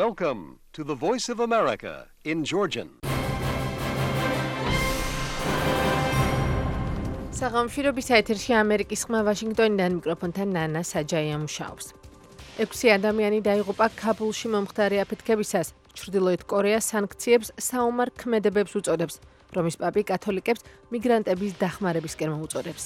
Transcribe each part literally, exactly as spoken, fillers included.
Welcome to the Voice of America in Georgian. საღამოშირობის ეთერში ამერიკის ხმა ვაშინგტონიდან მიკროფონთან ნანა საჯაია მუშაობს. ექვსი ადამიანი დაიღუპა ქაბულში მომხდარი აფეთქებისას. ჩრდილოეთ კორეა სანქციებს საომარ ქმედებებს უწოდებს, რომის პაპი კათოლიკებს მიგრანტების დახმარებისკენ მოუწოდებს.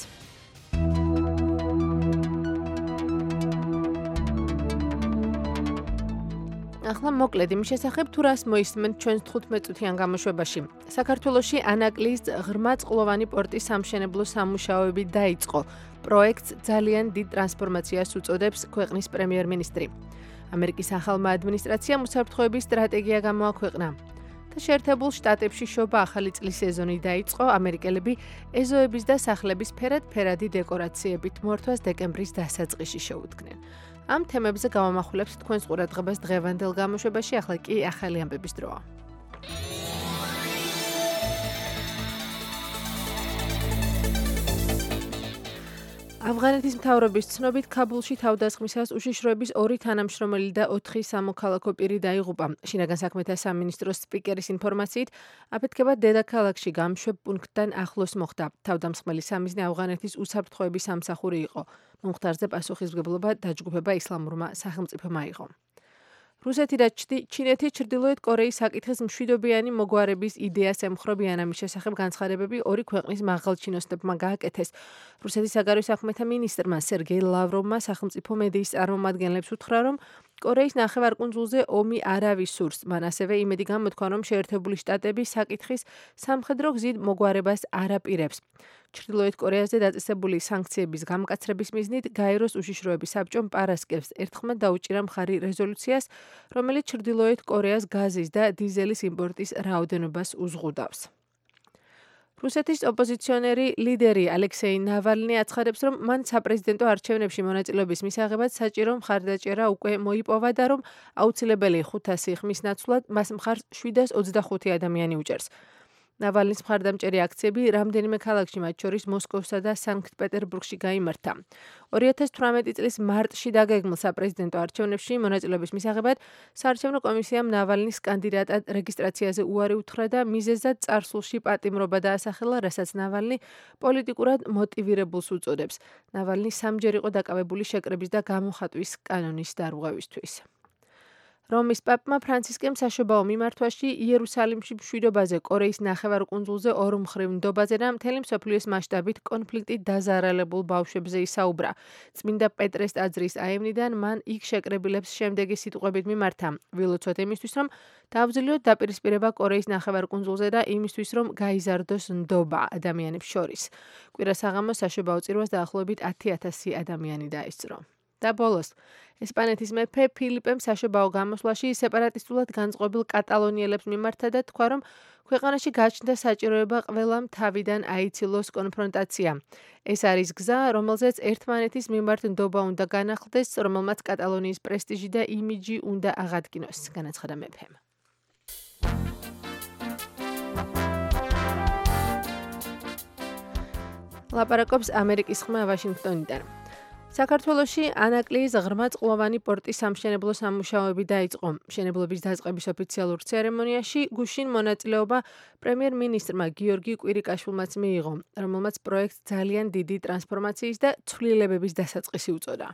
ახლა მოკლედ იმის შესახებ, თუ რას მოისმენთ ჩვენს თხუთმეტ წუთიან გამოშვებაში. საქართველოში ანაკლიის ღრმა წყლოვანი პორტის სამშენებლო სამუშაოები დაიწყო. პროექტს ძალიან დიდ ტრანსფორმაციას უწოდებს ქვეყნის პრემიერ-მინისტრი. ამერიკის ახალმა ადმინისტრაციამ უსაფრთხოების სტრატეგია გამოაქვეყნა. და შეერთებულ შტატებში შობა ახალი წლის სეზონი დაიწყო, ამერიკელები ეზოების და სახლების ფერად-ფერადი დეკორაციებით მორთვას დეკემბრის დასაწყისში შეუდგნენ. ამ თემებზე გავამახვილებთ თქვენს ყურადღებას დღევანდელ გამოშვებაში, ახლა კი ახალი ამბების დროა. ავღანეთის მთავრობის ცნობით ქაბულში თავდასხმისას უშიშროების ორი თანამშრომელი და ოთხი სამოქალაქო პირი დაიღუპა. შინაგან საქმეთა სამინისტროს სპიკერის ინფორმაციით, აფეთქება დედაქალაქში გამშვებ პუნქტთან ახლოს მოხდა. თავდამსხმელი სამიზნე ავღანეთის უსაფრთხოების სამსახური იყო. მომხდარზე პასუხისმგებლობა დაჯგუფება ისლამურმა სახელმწიფომ აიღო. რუსეთი და ჩინეთი ჩრდილოეთ კორეის საკითხის მშვიდობიანი მოგვარების იდეას ემხრობიან, ამის შესახებ განცხადებები ორი ქვეყნის მაღალჩინოსნებმა გააკეთეს. რუსეთის საგარეო საქმეთა მინისტრმა სერგეი ლავროვმა სახელმწიფო მედიის წარმომადგენლებს უთხრა, რომ კორეის ნახევარკუნძულზე ომი არავის სურს. მან ასევე იმედი გამოთქვა, რომ შეერთებული შტატები საკითხის სამხედრო გზით მოგვარებას არ აპირებს. ჩრდილოეთ კორეაზე დაწესებული სანქციების გამკაცრების მიზნით გაეროს უშიშროების საბჭომ პარასკევს ერთხმად დაუჭირა მხარი რეზოლუციას, რომელიც ჩრდილოეთ კორეას გაზის და დიზელის იმპორტის რაოდენობას უზღუდავს. რუსეთის ოპოზიციონერი ლიდერი ალექსეი ნავალნი აცხადებს, რომ მან საპრეზიდენტო არჩევნებში მონაწილეობის მისაღებად საჭირო მხარდაჭერა უკვე მოიპოვა და რომ აუცილებელი ხუთასი ხმის ნაცვლად მას მხარს შვიდას ოცდახუთი ადამიანი უჭერს. ნავალნის მხარდამჭერი აქციები რამდენიმე ქალაქში, მათ შორის მოსკოვსა და სანქტ-პეტერბურგში გაიმართა. ორი ათას თვრამეტი წლის მარტში დაგეგმილ საპრეზიდენტო არჩევნებში მონაწილეობის მისაღებად საარჩევნო კომისიამ ნავალნის კანდიდატად რეგისტრაციაზე უარი უთხრა და მიზეზად წარსულში პატიმრობა დაასახელა, რასაც ნავალნი პოლიტიკურად მოტივირებულს უწოდებს. ნავალნი სამჯერ იყო დაკავებული შეკრების და გამოხატვის კანონის დარღვევისთვის. რომის პაპმა ფრანცისკემ საშობაო მიმართვაში იერუსალიმში მშვიდობაზე, კორეის ნახევარკუნძულზე ორმხრივ ნდობაზე და მთელი მსოფლიოს მასშტაბით კონფლიქტით დაზარალებულ ბავშვებზე ისაუბრა. წმინდა პეტრეს ტაძრის აივნიდან მან იქ შეკრებილებს შემდეგი სიტყვებით მიმართა: ვილოცოთ იმისთვის, რომ დავძლიოთ დაპირისპირება კორეის ნახევარკუნძულზე და იმისთვის, რომ გაიზარდოს ნდობა ადამიანებს შორის. კვირა საღამოს საშობაო წირვას დაახლოებით ათი ათასი ადამიანი დაესწრო. და ბოლოს, ესპანეთის მეფე ფილიპემ საშობაო გამოსვლაში სეპარატისტულად განწყობილ კატალონიელებს მიმართა და თქვა, რომ ქვეყანაში გაჩნდა საჭიროება ყველამ თავიდან აიცილოს კონფრონტაცია. ეს არის გზა, რომელზეც ერთმანეთის მიმართ ნდობა უნდა განახლდეს, რომელმაც კატალონიის პრესტიჟი და იმიჯი უნდა აღადგინოს, განაცხადა მეფემ. ლაპარაკობს ამერიკის ხმა ვაშინგტონიდან. საქართველოში ანაკლიის ღრმა წყლოვანი პორტის სამშენებლო სამუშაოები დაიწყო. მშენებლობის დაწყების ოფიციალურ ცერემონიაში გუშინ მონაწილეობა პრემიერ-მინისტრმა გიორგი კვირიკაშვილმაც მიიღო, რომელმაც პროექტს ძალიან დიდი ტრანსფორმაციის და ცვლილებების დასაწყისი უწოდა.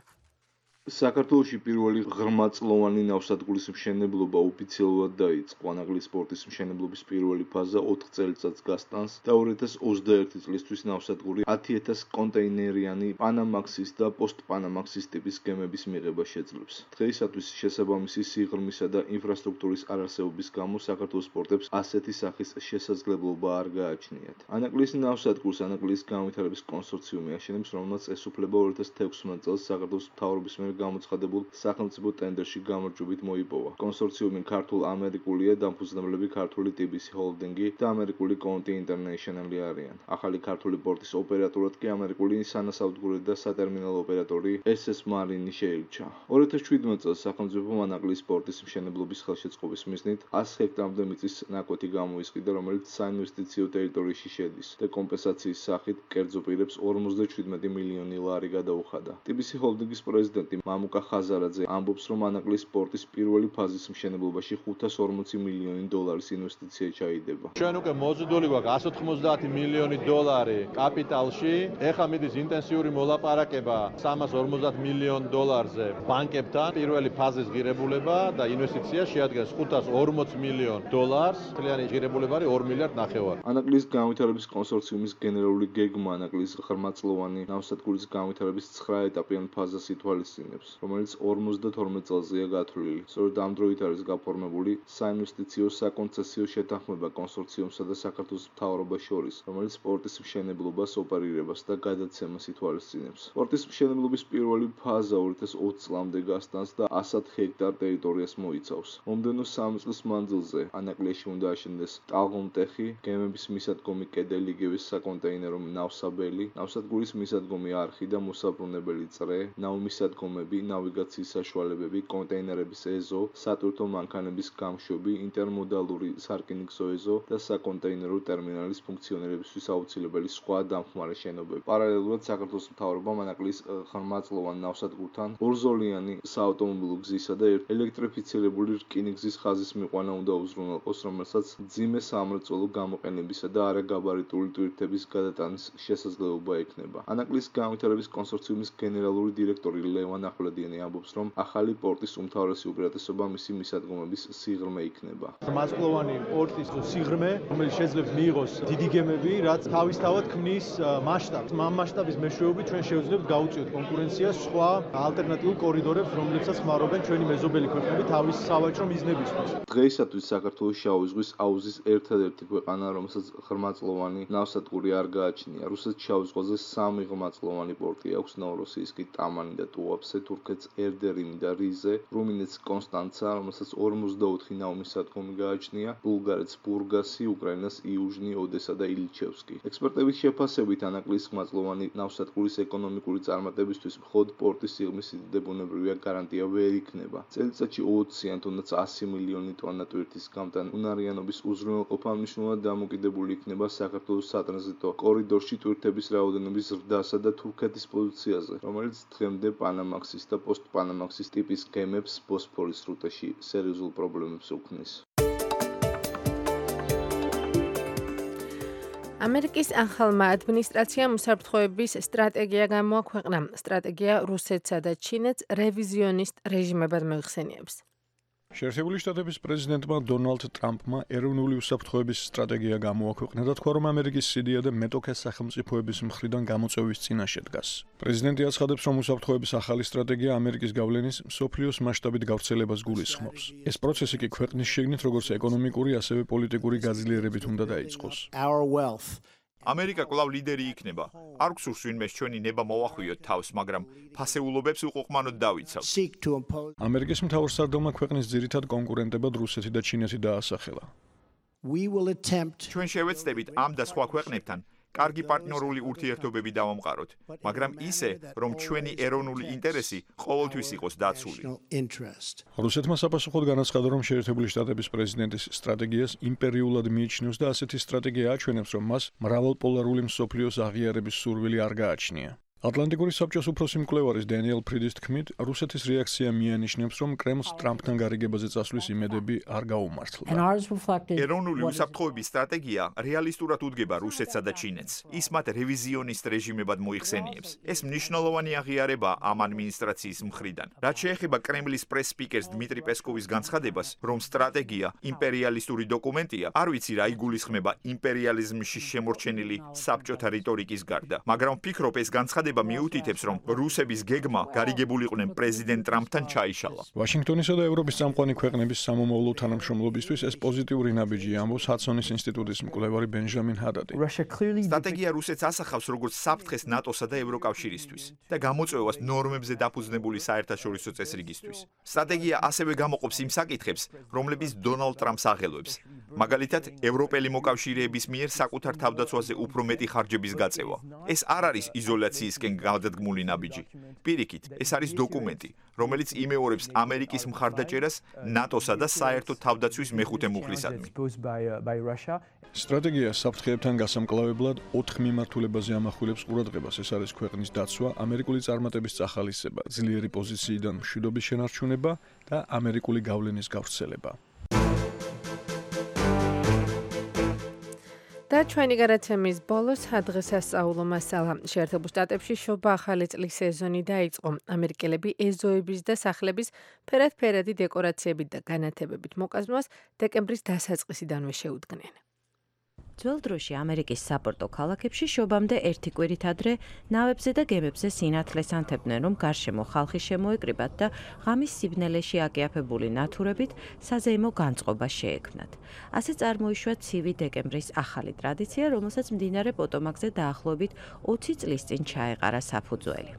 საქართველოში პირველი ღრმაწლოვანი ნავსადგურის მშენებლობა ოფიციალურად დაიწყო. ანაკლიის პორტის მშენებლობის პირველი ფაზა ოთხ წელიწადს გასტანს და ორი ათას ოცდაერთი წლისთვის ნავსადგური ათი ათას კონტეინერიანი პანამაქსის და პოსტპანამაქსის ტიპის გემების მიღება შეძლებს. დღეისათვის შესაბამისი სიღრმისა და ინფრასტრუქტურის არარსებობის გამო საქართველოს პორტებს ასეთი სახის შესაძლებლობა არ გააჩნიათ. ანაკლიის ნავსადგურს ანაკლიის განვითარების კონსორციუმი აშენებს, რომელმაც ესუფლება ორი ათას თექვსმეტ წელს საქართველოს მთავრობის მიერ გამოცხადებულ სახელმწიფო ტენდერში გამარჯვებით მოიპოვა. კონსორციუმი ქართულ-ამერიკულია, დამფუძნებლები ქართული ტიბისი ჰოლდინგი და ამერიკული კონტი ინტერნეიშნალი არიან. ახალი ქართული პორტის ოპერატორად კი ამერიკული სანავსადგური და სატერმინალო ოპერატორი ეს ეს მარინი შეირჩა. ორი ათას შვიდმეტ წელს სახელმწიფომ ანაკლიის პორტის მშენებლობის ხელშეწყობის მიზნით ას ჰექტარამდე მიწის ნაკვეთი გამოისყიდა, რომელიც საინვესტიციო ტერიტორიაში შედის და კომპენსაციის სახით კერძო პირებს ორმოცდაშვიდმეტი მილიონი ლარი გადაუხადა. ტიბისი ჰოლდინგის პრეზიდენტი მამუკა ხაზარაძე ამბობს, რომ ანაკლიის სპორტის პირველი ფაზის მშენებლობაში ხუთას ორმოცი მილიონი დოლარის ინვესტიცია ჩაიდება. ჩვენ უკვე მოზიდული გვაქვს εκατს ოთხმოცდაათი მილიონი დოლარი კაპიტალში. ეხლა მიდის ინტენსიური მოლაპარაკება სამას ორმოცდაათ მილიონ დოლარზე ბანკებთან. პირველი ფაზის ღირებულება და ინვესტიცია შეადგენს ხუთას ორმოც მილიონ დოლარს. მთლიანი ღირებულება არის ორი მილიარდი ნახევარი. ანაკლიის განვითარების კონსორციუმის გენერალური გეგმა ანაკლიის ღრმაწლოვანი ნავსადგურის განვითარების ცხრა ეტაპიან ფაზას ითვალისწინებს, რომელიც ორმოცდათორმეტ წელზეა გათვლილი. სწორედ ამ დროით არის გაფორმებული საინვესტიციო საკონცესიო შეთანხმება კონსორციუმსა და საქართველოს მთავრობას შორის, რომელიც სპორტის მშენებლობას, ოპერირებას და გადაცემას ითვალისწინებს. სპორტის მშენებლობის პირველი ფაზა ორი ათას ოცი წლამდე გასტანს და ასად ჰექტარ ტერიტორიას მოიცავს. მომდევნო სამი წლის მანძილზე ანაკლიაში უნდა აშენდეს ტალღომტეხი, გემების მისადგომი კედელი, იგივე საკონტეინერო ნავსაბელი, ნავსადგურის მისადგომი არხი და მოსაბრუნებელი წრე, ნავმისადგომები, ნავიგაციის საშუალებები, კონტეინერების ეზო, სატვირთო მანქანების გამშვები, ინტერმოდალური სარკინიგზო ეზო და საკონტეინერო ტერმინალის ფუნქციონირებისთვის აუცილებელი სხვა დამხმარე შენობები. პარალელურად საქართველოს მთავრობამ ანაკლიის ღრმაწლოვან ნავსადგურთან ორზოლიანი საავტომობილო გზისა და ელექტრიფიცირებული რკინიგზის ხაზის მიყვანა უნდა უზრუნველყოს, რომელსაც მძიმე სამრეწველო გამოყენებისა და არაგაბარიტული ტვირთების გადატანის შესაძლებლობა ექნება. ანაკლიის განვითარების კონსორციუმის გენერალური დირექტორი ლევან ახვლედიანი ამბობს, რომ ახალი პორტის უმთავრესი უპირატესობა მისი მისადგომების სიღრმე იქნება. ღრმაწლოვანი პორტის სიღრმე, რომელიც შეიძლება მიიღოს დიდი გემები, რაც თავისთავად ქმნის მასშტაბს. ამ მასშტაბის მეშვეობით ჩვენ შევძლებთ გაუწიოთ კონკურენციას სხვა ალტერნატიულ კორიდორებს, რომლებსაც ხმარობენ ჩვენი მეზობელი ქვეყნები თავის სავაჭრო მიზნებისთვის. დღეისათვის საქართველოს შავი ზღვის აუზის ერთადერთი ქვეყანა, რომელსაც ღრმაწლოვანი ნავსადგური არ გააჩნია. რუსეთს შავი ზღვაზე სამი ღრმაწლოვანი პორტი აქვს, ნოვოროსიისკი, ტამანი და ტუაფსე, თურქეთს ერდერიმი და რიზე, რუმინეთს კონსტანცა, რომელსაც ორმოცდაოთხი ნავმისადგომი გააჩნია, ბულგარეთს ბურგასი, უკრაინას იუჟნი, ოდესა და ილჩევსკი. ექსპერტების შეფასებით ანაკლიის ღრმაწლოვანი ნავსადგურის ეკონომიკური წარმატებისთვის მხოლოდ პორტის სიღრმის სიდიდე ბუნებრივია გარანტია ვერ იქნება. წელიწადში ოცი ან თუნდაც ასი მილიონი ტონა ტვირთის გამტანუნარიანობის უზრუნველყოფა მნიშვნელოვნად დამოკიდებული იქნება საქართველოს სატრანზიტო კორიდორში ტვირთების რაოდენობის ზრდასა და თურქეთის პოზიციაზე, რომელიც დღემდე პანამაქსის და პოსტპანამაქსის ტიპის გემებს ბოსფორის სრუტეში სერიოზულ პრობლემებს უქმნის. ამერიკის ახალმა ადმინისტრაციამ უსაფრთხოების სტრატეგია გამოაქვეყნა. სტრატეგია რუსეთსა და ჩინეთს რევიზიონისტ რეჟიმებად მოიხსენიებს. შეერთებული შტატების პრეზიდენტმა დონალდ ტრამპმა ეროვნული უსაფრთხოების სტრატეგია გამოაქვეყნა და თქვა, რომ ამერიკის სიდია და მეტოქე სახელმწიფოების მხრიდან გამოწვევის წინაშე დგას. პრეზიდენტი აცხადებს, რომ უსაფრთხოების ახალი სტრატეგია ამერიკის გავლენის მსოფლიოს მასშტაბით გავრცელებას გულისხმობს. ეს პროცესი კი ქვეყნის შიგნით როგორც ეკონომიკური, ასევე პოლიტიკური გაძლიერებით უნდა დაიწყოს. ამერიკა კვლავ ლიდერი იქნება. არ გსურს ვინმეს ჩვენი ნება მოვახვიოთ თავს, მაგრამ ფასეულობებს უყუყმანოდ დავიცავთ. ამერიკის მთავრსარდალმა ქვეყნის ძირითად კონკურენტებად რუსეთი და ჩინეთი დაასახელა. ჩვენ შევეცდებით ამ და სხვა ქვეყნებთან კარგი პარტნიორული ურთიერთობები დავამყაროთ, მაგრამ ისე, რომ ჩვენი ეროვნული ინტერესი ყოველთვის იყოს დაცული. რუსეთმა საპასუხოდ განაცხადა, რომ შეერთებული შტატების პრეზიდენტის სტრატეგიას იმპერიულად მიიჩნევს და ასეთი სტრატეგია აჩვენებს, რომ მას მრავალპოლარული მსოფლიოს აღიარების სურვილი არ გააჩნია. ატლანტიკური საბჭოს უფროსი მკვლევარის დენიელ ფრიდის თქმით, რუსეთის რეაქცია მიანიშნებს, რომ კრემლს ტრამპთან გარიგებაზე წასვლის იმედები არ გაუმართლა. ეროვნული უსაფრთხოების სტრატეგია რეალისტურად უდგება რუსეთსა და ჩინეთს. ის მათ რევიზიონისტ რეჟიმებად მოიხსენიებს. ეს მნიშვნელოვანი აღიარება ამ ადმინისტრაციის მხრიდან. რაც შეეხება კრემლის პრეს-სპიკერს დმიტრი პესკოვის განცხადებას, რომ სტრატეგია იმპერიალისტური დოკუმენტია, არ ვიცი რა იგულისხმება იმპერიალიზმში შემორჩენილი საბჭოთა რიტორიკის გარდა, მაგრამ ვფიქრობ ეს განცხადება მიუთითებს, რომ რუსების გეგმა გარიგებულიყვნენ პრეზიდენტ ტრამპთან ჩაიშალა. ვაშინგტონისა და ევროპის წამყვანი ქვეყნების სამომავლო თანამშრომლობისთვის ეს პოზიტიური ნაბიჯი, ამბობს ჰადსონის ინსტიტუტის მკვლევარი ბენჟამინ ჰადადი. სტრატეგია რუსეთს ასახავს როგორც საფრთხეს ნატოსა და ევროკავშირისთვის და გამოწვევას ნორმებზე დაფუძნებული საერთაშორისო წესრიგისთვის. სტრატეგია ასევე გამოყოფს იმ საკითხებს, რომლებიც დონალდ ტრამპს აღელვებს. მაგალითად, ევროპელი მოკავშირეების მიერ საკუთარ თავდაცვაზე უფრო მეტი ხარჯების გაწევა. ეს არ არის იზოლაციისკენ გადადგმული ნაბიჯი. პირიქით, ეს არის დოკუმენტი, რომელიც იმეორებს ამერიკის მხარდაჭერას ნატოსა და საერთო თავდაცვის მეხუთე მუხლისადმი. სტრატეგია საფრთხეებთან გასამკლავებლად ოთხ მიმართულებაზე ამახვილებს ყურადღებას. ეს არის ქვეყნის დაცვა, ამერიკული წარმატების წახალისება, ძლიერი პოზიციიდან მშვიდობის შენარჩუნება და ამერიკული გავლენის გავრცელება. და ჩვენი გადაცემის ბოლოს დღესასწაულო მასალა. შეერთებულ შტატებში შობა ახალი წლის სეზონი დაიწყო. ამერიკელები ეზოების და სახლების ფერად-ფერადი დეკორაციებით და განათებებით მოკაზმვას დეკემბრის დასაწყისიდანვე შეუდგნენ. ძველ დროში ამერიკის საპორტო ქალაქებში შობამდე ერთი კვირით ადრე ნავებზე და გემებზე სინათლეს ანთებდნენ, რომ გარშემო ხალხი შემოეკრიბათ და ღამის სიბნელეში აკიაფებული ნათურებით საზეიმო განწყობა შეექმნათ. ასე წარმოიშვა ცივი დეკემბრის ახალი ტრადიცია, რომელსაც მდინარე პოტომაკზე დაახლოებით ოცი წლის წინ ჩაეყარა საფუძველი.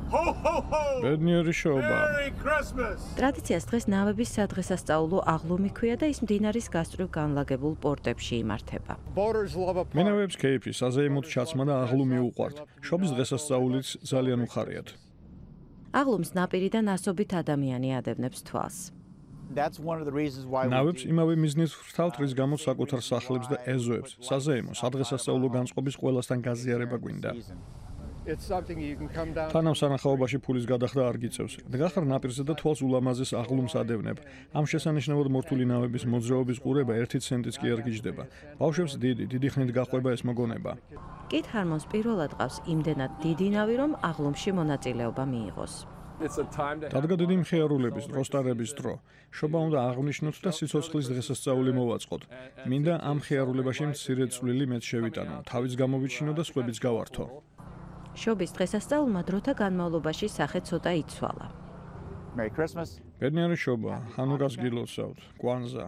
ბედნიერი შობა. ტრადიციას დღეს ნავების სადღესასწაულო აღლუმი ქვია და ის მდინარის გასწვრივ განლაგებულ პორტებში იმართება. მენავებს კეიფი, საზეიმოდ ჩაცმა და აღლუმი უყვართ. შობის დღესასწაულიც ძალიან უხარიათ. აღლუმს ნაპირიდან ასობით ადამიანი ადევნებს თვალს. ნავებს იმავე მიზნით ვრთავთ, რის გამოც საკუთარ სახლებს და ეზოებს, საზეიმო, სადღესასწაულო განწყობის ყველასთან გაზიარება გვინდა. თანამ სანახაობაში ფულის გადახდა არ გიწევს. დგახარ ნაპირზე და თვალს ულამაზეს აღლუმს ადევნებ. ამ შესანიშნავად მორთული ნავების მოძრაობის ყურება ერთი ცენტიც კი არ გიждდება. ბავშვებს დიდი, დიდი ხნით გაყვება ეს მოგონება. კით ჰარმონს პირველად ყავს იმდენად დიდი ნავი, რომ აღლუმში მონაწილეობა მიიღოს. დადგა დიდი მხიარულების, დროსტარების დრო. შობა უნდა აღნიშნოთ და სიცოცხლის დღესასწაული მოვაწყოთ. მინდა ამ მხიარულებაში მცირე წვლილი მეც შევიტანო, თავის გამოვიჩინო და სხვებიც გავართო. შობის დღესასწაულმა დროთა განმავლობაში სახე ცოტა იცვალა. ბედნიერი შობა, ჰანუკას გილოცავთ, კვანზა.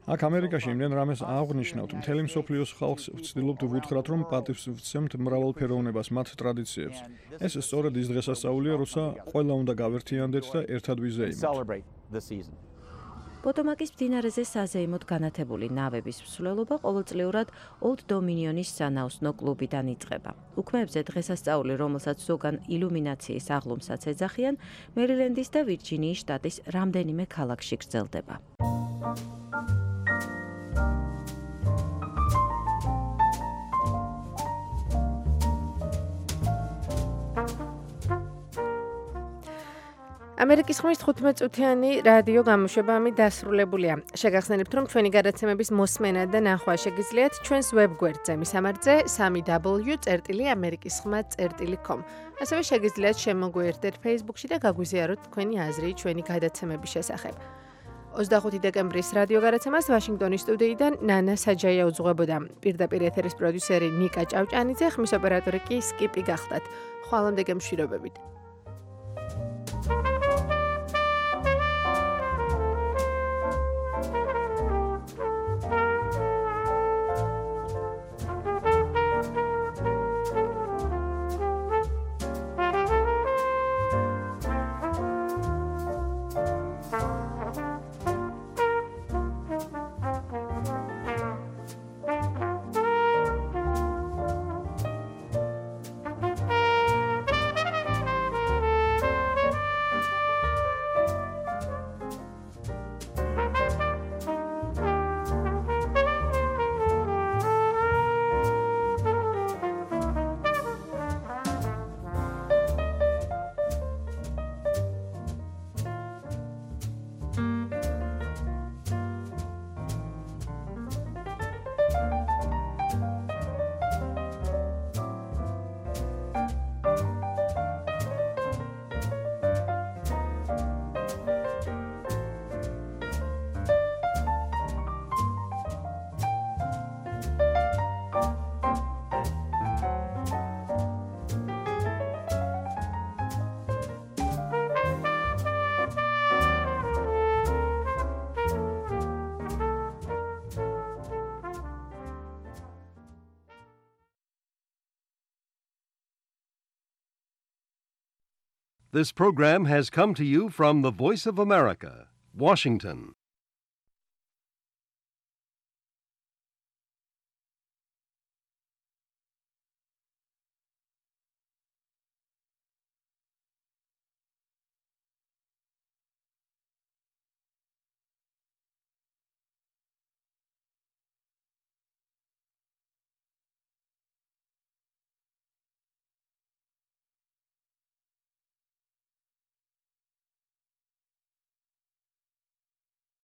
აქ ამერიკაში იმდენ რამეს აღნიშნავთ, მთელი მსოფლიოს ხალხს ვცდილობთ ვუთხრათ, რომ პატივს ვცემთ მრავალფეროვნებას, მათ ტრადიციებს. ეს სწორედ ის დღესასწაულია, როცა ყველა უნდა გავერთიანდეთ და ერთად ვიზეიმოთ. პოტომაკის მდინარეზე საზეიმოდ განათებული ნავების მსვლელობა ყოველწლიურად Old Dominionis სანაოსნო კლუბიდან იწყება. უქმეებზე დღესასწაული, რომელსაც ზოგან ილუმინაციის აღლუმსაც ეძახიან, მერილენდის და ვირჯინიის შტატის რამდენიმე ქალაქში გრძელდება. ამერიკის ხმის თხუთმეტ წუთიანი რადიო გამოშვება ამით დასრულებულია. შეგახსენებთ, რომ ჩვენი გადაცემების მოსმენა და ნახვა შეგიძლიათ ჩვენს ვებგვერდზე, მისამართზე სამი დაბლიუ წერტილი ამერიკის ხმა წერტილი com. ასევე შეგიძლიათ შემოგვიერთდეთ Facebook-ში და გაგვიზიაროთ თქვენი აზრი ჩვენი გადაცემების შესახებ. ოცდახუთი დეკემბრის რადიო გადაცემას ვაშინგტონის სტუდიიდან ნანა საჯაია უძღვებოდა. პირდაპირ ეთერის პროდიუსერი ნიკა ჭავჭანიძე, ხმის ოპერატორი კი სკიპი გახდათ. ხვალამდე გემშვიდობებით. This program has come to you from the Voice of America, Washington.